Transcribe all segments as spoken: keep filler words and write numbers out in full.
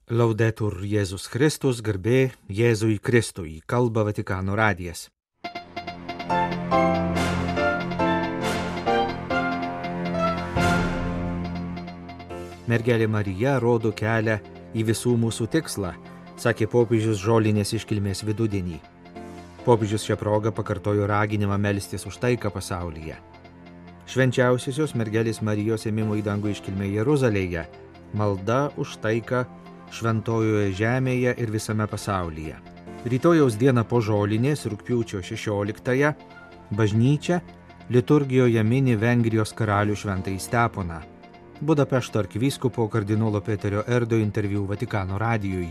Laudetur Jėzus Kristus, garbė Jėzui Kristui, kalba Vatikano radijas. Mergelė Marija rodo kelią į visų mūsų tikslą, sakė popiežius žolinės iškilmės vidudienį. Popiežius šią progą pakartojo raginimą melstis už taiką pasaulyje. Švenčiausiosios mergelės Marijos ėmimo į dangų iškilmė Jeruzalėje, malda už taiką šventojoje žemėje ir visame pasaulyje. Rytojaus dieną po žolinės, rugpjūčio šešioliktąją, bažnyčia liturgijoje mini Vengrijos karalių šventąjį Steponą. Budapešto arkivyskupo kardinolo Peterio Erdo interviu Vatikano radijui.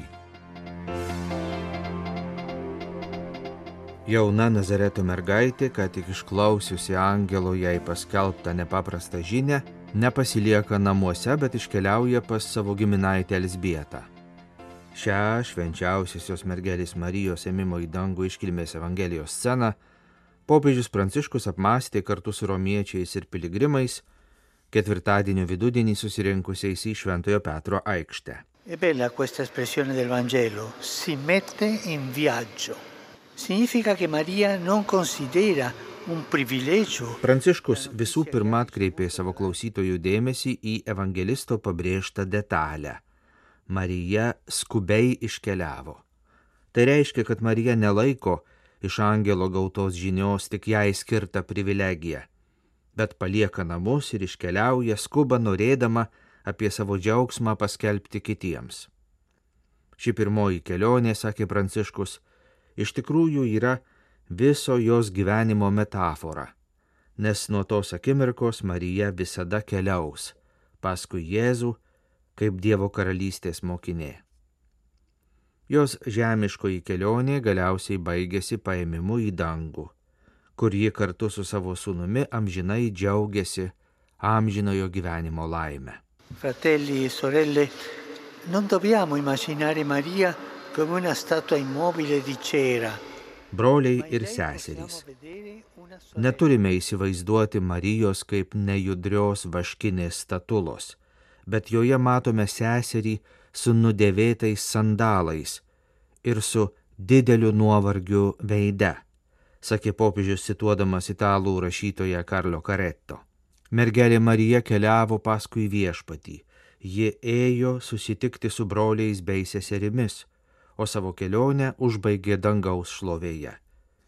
Jauna Nazareto mergaitė, ką tik išklausiusi angelo jai paskelbtą nepaprastą žinią, nepasilieka namuose, bet iškeliauja pas savo giminaitę Elzbietą. Šią švenčiausiosios mergelės Marijos ėmimo į dangų iškilmės Evangelijos sceną popiežius Pranciškus apmąstė kartu su romiečiais ir piligrimais ketvirtadienio vidudienį susirinkusiais į Šventojo Petro aikštę. È bella questa espressione del Vangelo, si mette in viaggio. Significa che Maria non considera un privilegio. Pranciškus visų pirma atkreipė savo klausytojų dėmesį į evangelisto pabrėžtą detalę. Marija skubiai iškeliavo. Tai reiškia, kad Marija nelaiko iš angelo gautos žinios tik jai skirtą privilegiją, bet palieka namus ir iškeliauja skuba norėdama apie savo džiaugsmą paskelbti kitiems. Ši pirmoji kelionė, sakė Pranciškus, iš tikrųjų yra viso jos gyvenimo metafora, nes nuo tos akimirkos Marija visada keliaus paskui Jėzų kaip Dievo karalystės mokinė. Jos žemiškoji kelionė galiausiai baigėsi paėmimu į dangų, kur ji kartu su savo sūnumi amžinai džiaugiasi amžinojo gyvenimo laime. Fratelli e sorelle, non dobbiamo immaginare Maria come una statua immobile di cera. Broliai ir seserys, neturime įsivaizduoti Marijos kaip nejudrios vaškinės statulos, bet joje matome seserį su nudėvėtais sandalais ir su dideliu nuovargiu veide, sakė popiežius cituodamas italų rašytoją Karlo Caretto. Mergelė Marija keliavo paskui viešpatį, ji ėjo susitikti su broliais bei seserimis, o savo kelionę užbaigė dangaus šlovėje.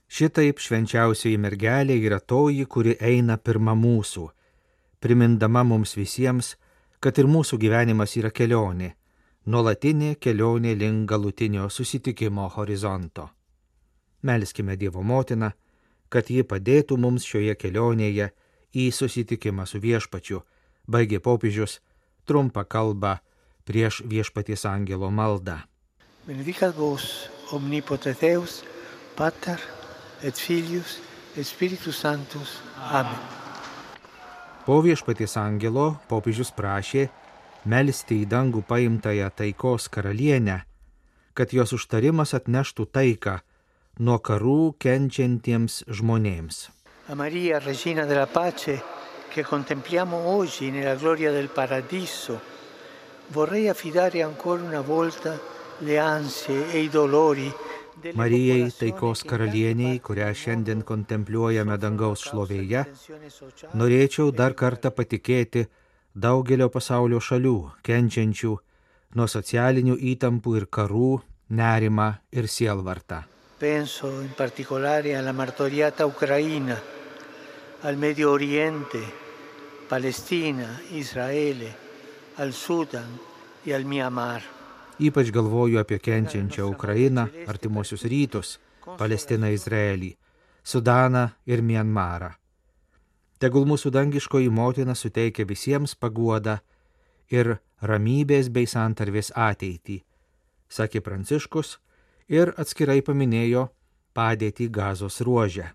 Šitaip švenčiausioji mergelė yra toji, kuri eina pirma mūsų, primindama mums visiems, kad ir mūsų gyvenimas yra kelionė, nuolatinė kelionė link galutinio susitikimo horizonto. Melskime Dievo motiną, kad ji padėtų mums šioje kelionėje į susitikimą su viešpačiu, baigė popiežius trumpą kalbą prieš viešpaties angelo maldą. Benedicat vos omnipotens Deus, Pater et Filius et Spiritus Sanctus. Amen. Po viešpaties angelo popiežius prašė melsti į dangų paimtąją taikos karalienę, kad jos užtarimas atneštų taiką nuo karų kenčiantiems žmonėms. A Maria, Regina della Pace, che contempliamo oggi nella gloria del Paradiso, vorrei affidare ancora una volta le ansie e i dolori. Marijai, taikos karalieniai, kurią šiandien kontempliuojame dangaus šlovėje, norėčiau dar kartą patikėti daugelio pasaulio šalių, kenčiančių nuo socialinių įtampų ir karų, nerimą ir sielvartą. Penso in particolare alla martoriata Ucraina, al Medio Oriente, Palestina, Israele, al Sudan e al Myanmar. Ypač galvoju apie kenčiančią Ukrainą, artimuosius rytus, Palestiną, Izraelį, Sudaną ir Mianmarą. Tegul mūsų dangiškoji motina suteikia visiems paguodą ir ramybės bei santarvės ateitį, sakė Pranciškus ir atskirai paminėjo padėtį Gazos ruože.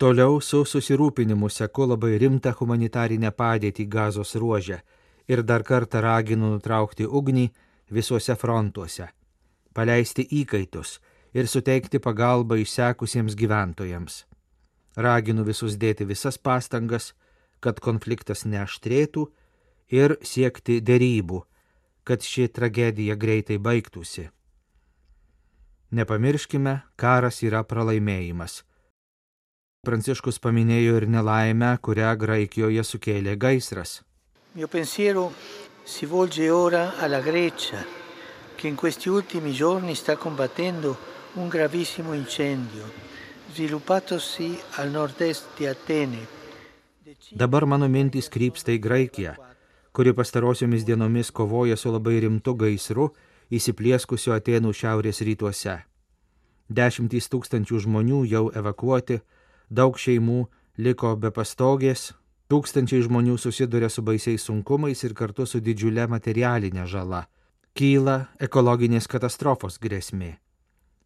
Toliau su susirūpinimu seku labai rimtą humanitarinę padėtį Gazos ruože ir dar kartą raginu nutraukti ugnį visuose frontuose, paleisti įkaitus ir suteikti pagalbą išsekusiems gyventojams. Raginu visus dėti visas pastangas, kad konfliktas neaštrėtų ir siekti derybų, kad ši tragedija greitai baigtųsi. Nepamirškime, karas yra pralaimėjimas. Pranciškus paminėjo ir nelaimę, kurią Graikijoje sukėlė gaisras. Mio pensiero si volge ora alla Grecia, che in questi ultimi giorni sta combattendo un gravissimo incendio, sviluppatosi al nord-est di Atene. Dabar mano mintys krypsta į Graikiją, kuri pastarosiomis dienomis kovoja su labai rimtu gaisru įsiplieskusiu Atėnų šiaurės rytuose. Dešimtys tūkstančių žmonių jau evakuoti, daug šeimų liko be pastogės, tūkstančiai žmonių susiduria su baisiais sunkumais ir kartu su didžiulė materialinė žala. Kyla ekologinės katastrofos grėsmė.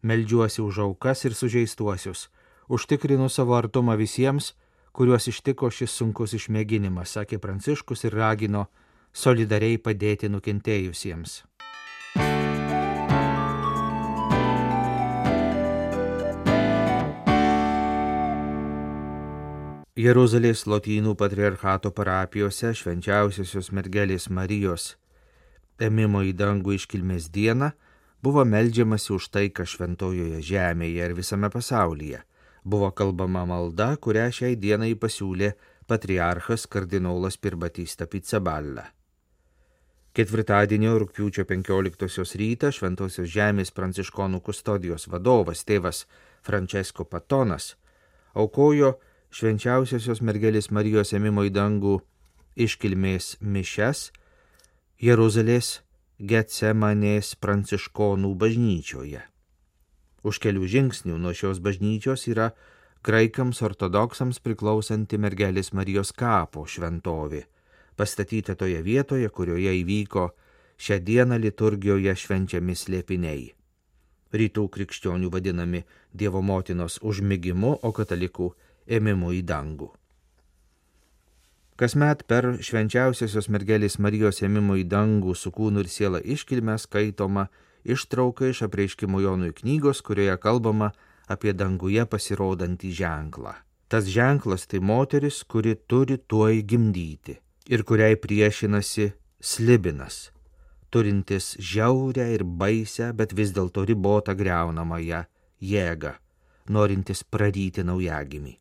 Meldžiuosi už aukas ir sužeistuosius, užtikrinu savo artumą visiems, kuriuos ištiko šis sunkus išmėginimas, sakė Pranciškus ir ragino solidariai padėti nukentėjusiems. Jeruzalės Lotynų patriarchato parapijose švenčiausiosios mergelės Marijos ėmimo į dangų iškilmės dieną buvo meldžiamasi už taiką šventojoje žemėje ir visame pasaulyje. Buvo kalbama malda, kurią šiai dienai pasiūlė patriarchas kardinolas Pierbattista Pizzaballa. Ketvirtadienio rugpjūčio penkioliktosios rytą Šventosios žemės pranciškonų kustodijos vadovas tėvas Francesco Patonas aukojo švenčiausiosios mergelės Marijos ėmimo į dangų iškilmės mišias Jeruzalės Getsemanės pranciškonų bažnyčioje. Už kelių žingsnių nuo šios bažnyčios yra graikams ortodoksams priklausanti mergelės Marijos kapo šventovė, pastatyta toje vietoje, kurioje įvyko šią dieną liturgijoje švenčiami slėpiniai. Rytų krikščionių vadinami Dievo motinos užmigimu, o katalikų ėmimu į dangų. Kasmet per švenčiausiosios mergelės Marijos ėmimo į dangų su kūnu ir siela iškilmę skaitoma ištrauka iš Apreiškimo Jonui knygos, kurioje kalbama apie danguje pasirodantį ženklą. Tas ženklas tai moteris, kuri turi tuoj gimdyti ir kuriai priešinasi slibinas, turintis žiaurę ir baisę, bet vis dėlto ribotą griaunamąją jėgą, norintis praryti naujagimį.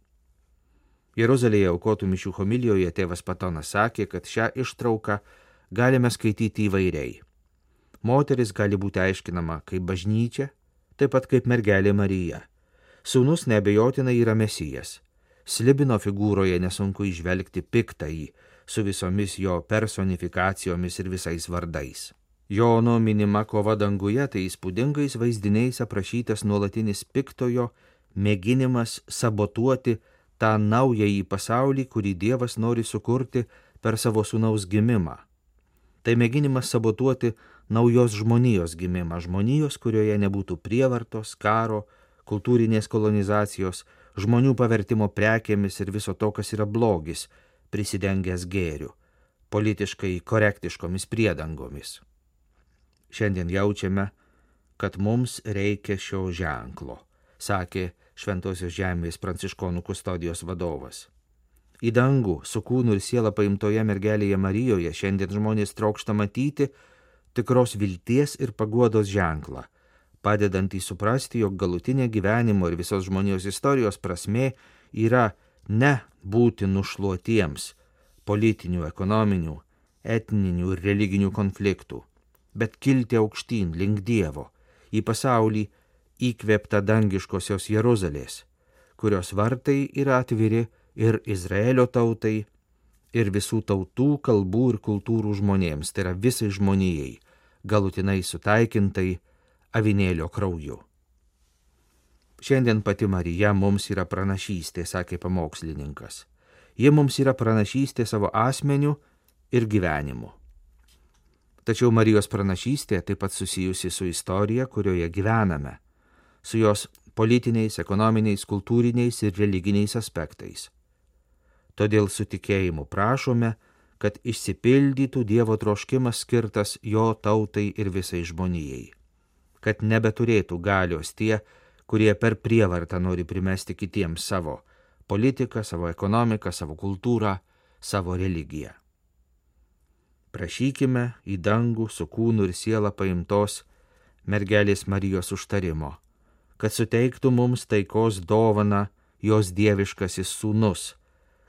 Jeruzalėje aukotų mišių homilijoje tėvas Patonas sakė, kad šią ištrauką galime skaityti įvairiai. Moteris gali būti aiškinama kaip bažnyčia, taip pat kaip mergelė Marija. Sūnus neabejotinai yra Mesijas. Slibino figūroje nesunku įžvelgti piktąjį, su visomis jo personifikacijomis ir visais vardais. Jono minima kova danguje tai įspūdingais vaizdiniais aprašytas nuolatinis piktojo mėginimas sabotuoti tą naująjį pasaulį, kurį Dievas nori sukurti per savo sūnaus gimimą. Tai mėginimas sabotuoti naujos žmonijos gimimą, žmonijos, kurioje nebūtų prievartos, karo, kultūrinės kolonizacijos, žmonių pavertimo prekėmis ir viso to, kas yra blogis, prisidengęs gėriu, politiškai korektiškomis priedangomis. Šiandien jaučiame, kad mums reikia šio ženklo, sakė Šventosios žemės pranciškonų kustodijos vadovas. Į dangų su kūnu ir siela paimtoje mergelėje Marijoje šiandien žmonės trokšta matyti tikros vilties ir paguodos ženklą, padedantį suprasti, jog galutinė gyvenimo ir visos žmonijos istorijos prasmė yra ne būti nušluotiems politinių, ekonominių, etninių ir religinių konfliktų, bet kilti aukštyn link Dievo, į pasaulį įkvėpta dangiškosios Jeruzalės, kurios vartai yra atviri ir Izraelio tautai, ir visų tautų, kalbų ir kultūrų žmonėms, tai yra visai žmonijai, galutinai sutaikintai avinėlio krauju. Šiandien pati Marija mums yra pranašystė, sakė pamokslininkas. Ji mums yra pranašystė savo asmeniu ir gyvenimu. Tačiau Marijos pranašystė taip pat susijusi su istorija, kurioje gyvename, su jos politiniais, ekonominiais, kultūriniais ir religiniais aspektais. Todėl su tikėjimu prašome, kad išsipildytų Dievo troškimas skirtas jo tautai ir visai žmonijai, kad nebeturėtų galios tie, kurie per prievartą nori primesti kitiems savo politiką, savo ekonomiką, savo kultūrą, savo religiją. Prašykime į dangų su kūnu ir siela paimtos mergelės Marijos užtarimo, kad suteiktų mums taikos dovaną jos dieviškasis sūnus,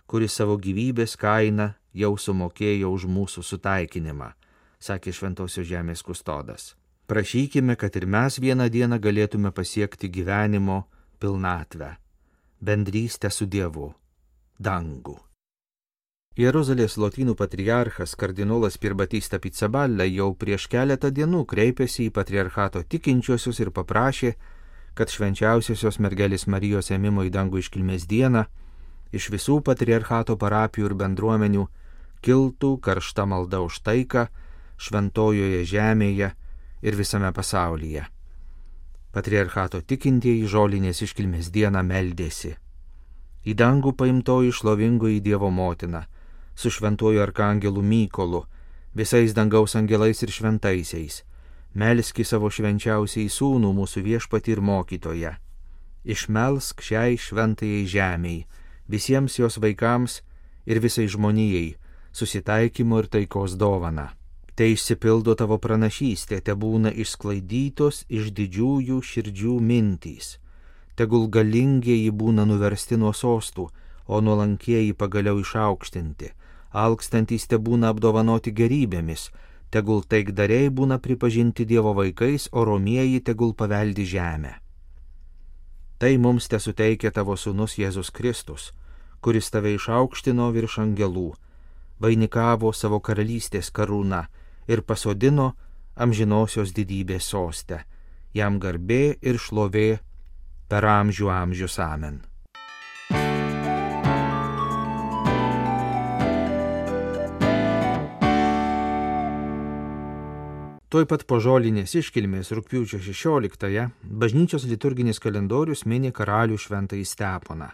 kuris savo gyvybės kainą jau sumokėjo už mūsų sutaikinimą, sakė Šventosios žemės kustodas. Prašykime, kad ir mes vieną dieną galėtume pasiekti gyvenimo pilnatvę, bendrystę su Dievu, dangų. Jeruzalės lotynų patriarchas kardinolas Pierbatista Pizzaballa jau prieš keletą dienų kreipėsi į patriarchato tikinčiuosius ir paprašė, kad švenčiausiosios mergelės Marijos ėmimo į dangų iškilmės dieną iš visų patriarchato parapijų ir bendruomenių kiltų karšta malda už taiką šventojoje žemėje ir visame pasaulyje. Patriarchato tikintieji žolinės iškilmės dieną meldėsi. Į dangų paimtoji šlovingoji Dievo motina, su šventuoju arkangelu Mykolu, visais dangaus angelais ir šventaisiais, melski savo švenčiausiai sūnų mūsų viešpatį ir mokytoją. Išmelsk šiai šventajai žemei, visiems jos vaikams ir visai žmonijai, susitaikymo ir taikos dovaną. Tai išsipildo tavo pranašystė, te būna išsklaidytos iš didžiųjų širdžių mintys. Tegul galingieji būna nuversti nuo sostų, o nuolankieji pagaliau išaukštinti. Alkstantys te būna apdovanoti gerybėmis, tegul taikdariai būna pripažinti Dievo vaikais, o romieji tegul paveldi žemę. Tai mums te suteikia tavo sūnus Jėzus Kristus, kuris tave išaukštino virš angelų, vainikavo savo karalystės karūną ir pasodino amžinosios didybės soste. Jam garbė ir šlovė per amžių amžius. Amen. Tuoj pat po žolinės iškilmės rugpjūčio šešioliktąją bažnyčios liturginis kalendorius mini karalių šventąjį Steponą.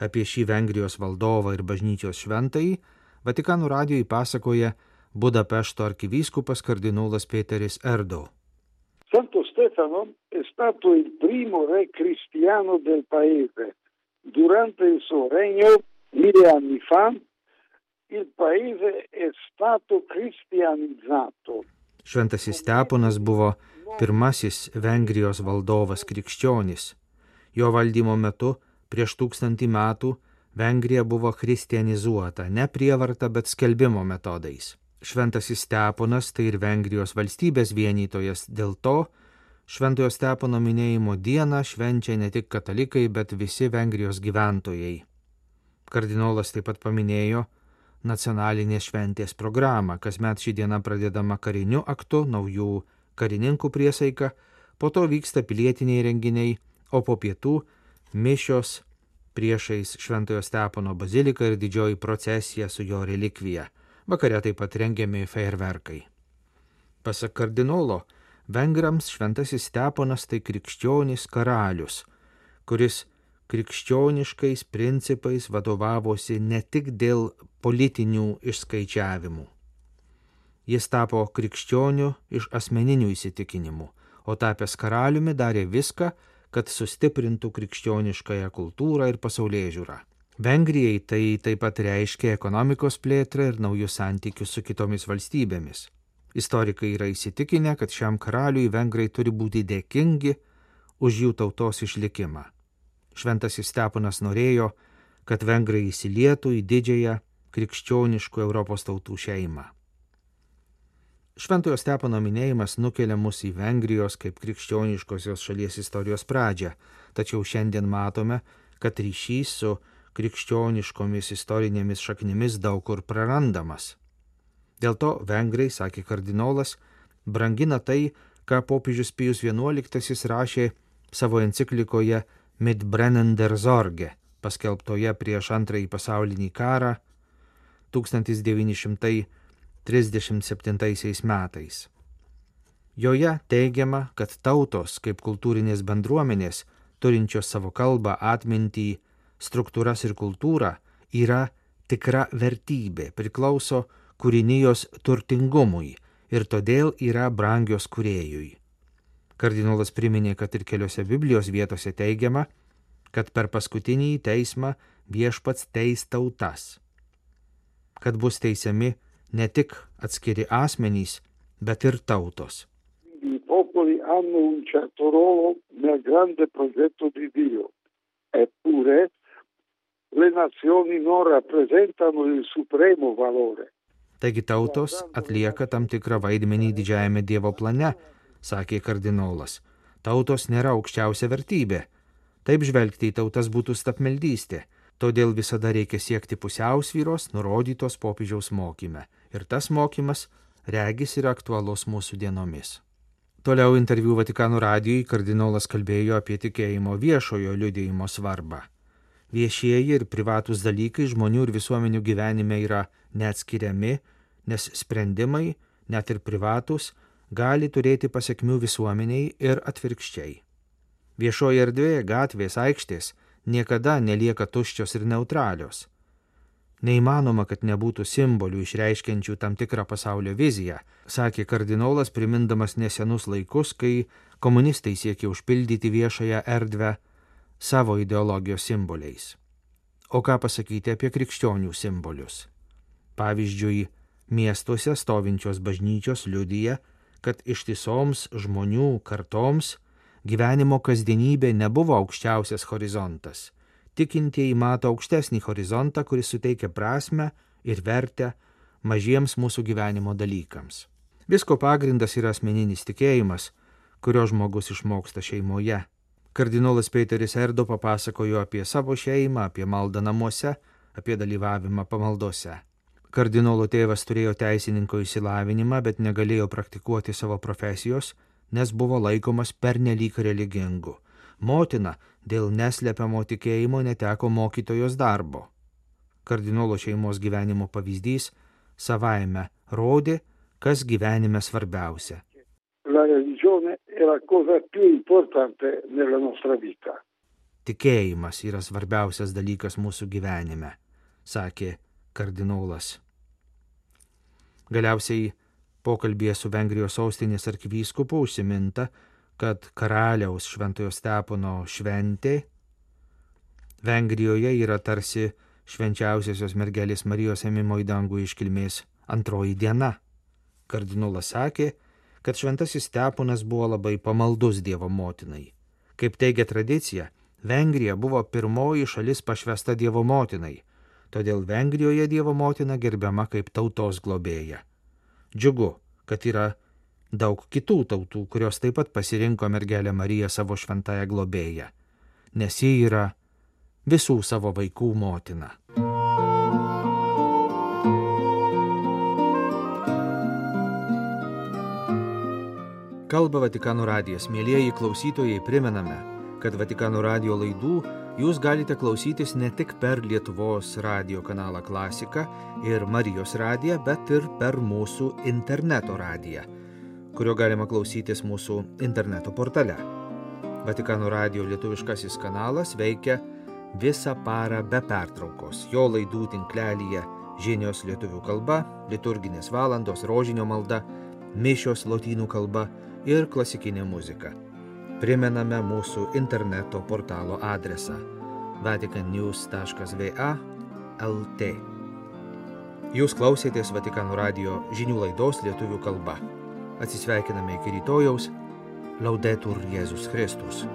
Apie šį Vengrijos valdovą ir bažnyčios šventąjį Vatikano radijui pasakoja Budapešto arkivyskupas kardinolas Peteris Erdo. Santo Stefano è stato il primo re cristiano del paese. Durante il suo regno, mille anni fa, il paese è stato cristianizzato. Šventasis Steponas buvo pirmasis Vengrijos valdovas krikščionis. Jo valdymo metu prieš tūkstantį metų Vengrija buvo kristianizuota, ne prievarta, bet skelbimo metodais. Šventasis Steponas tai ir Vengrijos valstybės vienytojas, dėl to Šventojo Stepono minėjimo dieną švenčia ne tik katalikai, bet visi Vengrijos gyventojai. Kardinolas taip pat paminėjo nacionalinės šventės programą, kasmet ši diena pradedama kariniu aktu, naujų karininkų priesaika, po to vyksta pilietiniai renginiai, o po pietų mišios priešais Šventojo Stepono baziliką ir didžioji procesija su jo relikvija. Vakare taip pat rengiami fejerverkai. Pasak kardinolo, vengrams Šventasis Steponas tai krikščionis karalius, kuris krikščioniškais principais vadovavosi ne tik dėl politinių išskaičiavimų. Jis tapo krikščioniu iš asmeninių įsitikinimų, o tapęs karaliumi darė viską, kad sustiprintų krikščioniškąją kultūrą ir pasaulėžiūrą. Vengrijai tai taip pat reiškia ekonomikos plėtrą ir naujus santykius su kitomis valstybėmis. Istorikai yra įsitikinę, kad šiam karaliui vengrai turi būti dėkingi už jų tautos išlikimą. Šventasis Steponas norėjo, kad vengrai įsilietų į didžiąją krikščioniškų Europos tautų šeimą. Šventojo Stepono minėjimas nukelia mus į Vengrijos kaip krikščioniškosios šalies istorijos pradžią, tačiau šiandien matome, kad ryšys su krikščioniškomis istorinėmis šaknimis daug kur prarandamas. Dėl to vengrai, sakė kardinolas, brangina tai, ką popiežius Pijus vienuoliktasis rašė savo enciklikoje Mit Brennen der Sorge, paskelbtoje prieš antrąjį pasaulinį karą tūkstantis devyni šimtai trisdešimt septintaisiais metais. Joje teigiama, kad tautos kaip kultūrinės bendruomenės, turinčios savo kalbą, atmintį, struktūras ir kultūrą, yra tikra vertybė, priklauso kūrinijos turtingumui ir todėl yra brangios kūrėjui. Kardinolas priminė, kad ir keliose Biblijos vietose teigiama, kad per paskutinį teismą viešpats teis tautas, kad bus teisiami ne tik atskiri asmenys, bet ir tautos. I popoli hanno un certo ruolo nel grande progetto di Dio, eppure le nazioni non rappresentano il supremo valore. Taigi tautos atlieka tam tikrą vaidmenį didžiajame Dievo plane, sakė kardinolas. Tautos nėra aukščiausia vertybė. Taip žvelgti į tautas būtų stapmeldystė. Todėl visada reikia siekti pusiausvyros, nurodytos popiežiaus mokyme. Ir tas mokymas regis yra aktualus mūsų dienomis. Toliau interviu Vatikano radijui kardinolas kalbėjo apie tikėjimo viešojo liudijimo svarbą. Viešieji ir privatūs dalykai žmonių ir visuomenių gyvenime yra neatskiriami, nes sprendimai, net ir privatūs, gali turėti pasekmių visuomeniai ir atvirkščiai. Viešoji erdvė, gatvės, aikštės niekada nelieka tuščios ir neutralios. Neįmanoma, kad nebūtų simbolių išreiškiančių tam tikrą pasaulio viziją, sakė kardinolas, primindamas nesenus laikus, kai komunistai siekė užpildyti viešąją erdvę savo ideologijos simboliais. O ką pasakyti apie krikščionių simbolius? Pavyzdžiui, miestuose stovinčios bažnyčios liudija, kad ištisoms žmonių kartoms gyvenimo kasdienybė nebuvo aukščiausias horizontas. Tikintieji mato aukštesnį horizontą, kuris suteikia prasmę ir vertę mažiems mūsų gyvenimo dalykams. Visko pagrindas yra asmeninis tikėjimas, kurio žmogus išmoksta šeimoje. Kardinolas Peteris Erdo papasakojo apie savo šeimą, apie maldą namuose, apie dalyvavimą pamaldose. Kardinolo tėvas turėjo teisininko išsilavinimą, bet negalėjo praktikuoti savo profesijos, nes buvo laikomas pernelyg religingu. Motina dėl neslepiamo tikėjimo neteko mokytojos darbo. Kardinolo šeimos gyvenimo pavyzdys savaime rodė, kas gyvenime svarbiausia. La religione è la cosa più importante nella nostra vita. Tikėjimas yra svarbiausias dalykas mūsų gyvenime, sakė kardinolas. Galiausiai pokalbėje su Vengrijos sostinės arkivyskupu užsiminta, kad karaliaus Šventojo Stepono šventė Vengrijoje yra tarsi švenčiausiosios mergelės Marijos ėmimo į dangų iškilmės antroji diena. Kardinolas sakė, kad Šventasis Steponas buvo labai pamaldus Dievo motinai. Kaip teigia tradicija, Vengrija buvo pirmoji šalis pašvęsta Dievo motinai, todėl Vengrijoje Dievo motina gerbiama kaip tautos globėja. Džiugu, kad yra daug kitų tautų, kurios taip pat pasirinko mergelę Mariją savo šventąją globėją, nes ji yra visų savo vaikų motina. Kalba Vatikano radijas. Mielieji klausytojai, primename, kad Vatikano radijo laidų jūs galite klausytis ne tik per Lietuvos radijo kanalą Klasika ir Marijos radiją, bet ir per mūsų interneto radiją, kurio galima klausytis mūsų interneto portale. Vatikano radijo lietuviškasis kanalas veikia visą parą be pertraukos. Jo laidų tinklelyje žinios lietuvių kalba, liturginės valandos, rožinio malda, mišios lotynų kalba ir klasikinė muzika. Primename mūsų interneto portalo adresą vatican news taškas v a taškas l t. Jūs klausėtės Vatikano radijo žinių laidos lietuvių kalba. Atsisveikiname iki rytojaus. Laudetur Jėzus Kristus.